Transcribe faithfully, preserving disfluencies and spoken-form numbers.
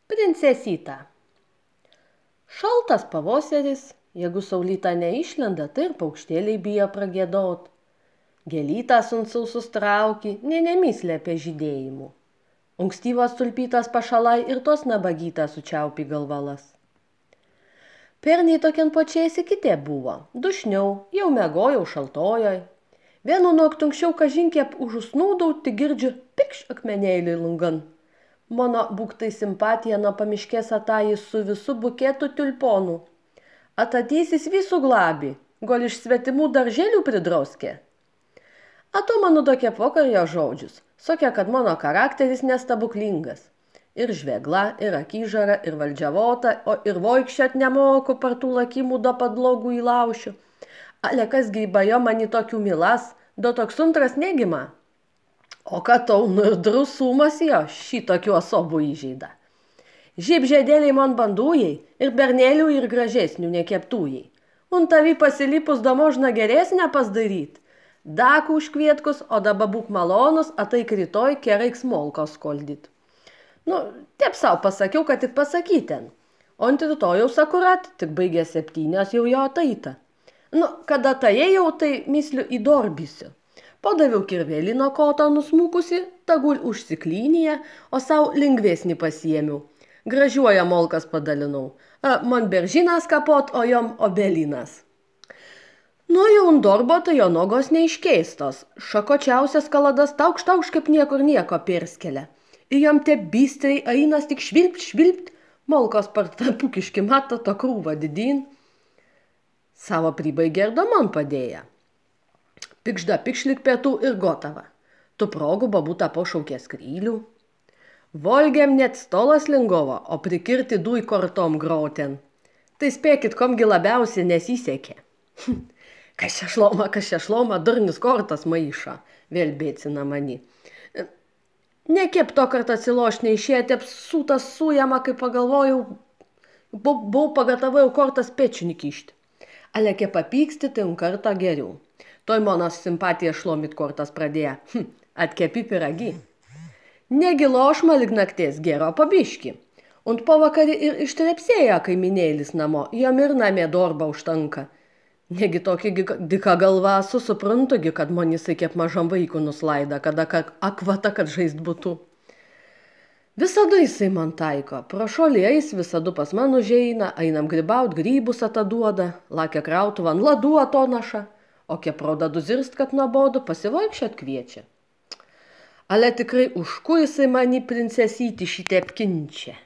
Princesyta. Šaltas pavasaris, jeigu saulyta neišlenda, tai ir paukštėliai bijo pragiedot. Gėlytas ant sausus trauki, nė nemyslė apie žydėjimų. Ankstyvas tulpytas pašalai ir tos nabagytas sučiaupi galvalas. Perniai tokian pačiais kitė buvo, dušniau, jau megojau šaltojoj. Vienu naktų anksčiau kažinkiep užusnūdau, tik girdžiu pikš akmenėlį lungan. Mano būktai simpatija nuo pamiškės atajis su visu buketu tulponų. Atatysis visų glabi, gal iš svetimų darželių pridrauskė. Ato mano tokie pokarjo žodžius, sakė, kad mano charakteris nestabuklingas. Ir žvegla, ir akyžara, ir valdžiavota, o ir voikščiat nemoku par tų lakimų do padlogų įlaušiu. Ale kas gybajo mani tokių milas, do toks antras negima. O kad tau nu ir drusumas jo šitokių osobų įžeida. Žyb žėdėliai man bandujai ir bernelių ir gražesnių nekeptujai. Un tavi pasilipus da možna geresnę pasdaryt. Dakų užkvietkus, o daba būk malonus, ataik rytoj kereik smolkos skoldyt. Nu, taip sau pasakiau, kad tik pasakyten. O ant rytojaus akurat, tik baigė septynios jau jo ataita. Nu, kada tajėjau, tai misliu įdorbysiu. Padaviau kirvelį nuo koto nusmukusi, tagul užsiklynyje, o sau lengvesnį pasiėmiau. Gražiuoja molkas padalinau. A, man beržinas kapot, o jom obelinas. Nu, jau ant dorbo, tai jo nogos neiškeistos. Šakočiausias kaladas taukš taukš kaip niekur nieko perskelia. Ir jom te bistriai ainas tik švilpt, švilpt, molkos par tą pukiškį matą to krūvą didin. Savo pribaigė ir do man padėja. Pikžda pikšlik pietų ir gotava. Tu progų babutą pašaukė skrylių. Volgiam net stolas lingovo, o prikirti duj kortom groten. Tai spėkit, komgi labiausiai nesisekė. Kas čia šloma, kas čia šloma, durnis kortas maiša, vėl bėcina mani. Nekep to kartą atsiloš neišėjo, tep sūtas sujama, kai pagalvojau, buvau pagatavojau kortas pečinį kišti. Ale ke papyksti, tai un kartą geriau. Toj monos simpatija šlomit kortas pradėjo. Hm, atkepi piragi. Negilošma lyg nakties gero pabiški. Und po vakarį ir ištrepsėjo kaiminėlis namo, jom ir namie dorba užtanka. Negi tokį dika galva su suprantugi, kad man jisai kaip mažam vaikų nuslaida, kada akvata, kad žaist būtų. Visada jisai man taiko, prašolėjais visada pas man užeina, einam grybaut, grybus ataduoda, lakia krautuvan ladų atonaša. O kie pradadu zirst, kad nuobodu, pasivaikščiot kviečia. Ale tikrai už ku jisai mani princesyti šitep kinčia.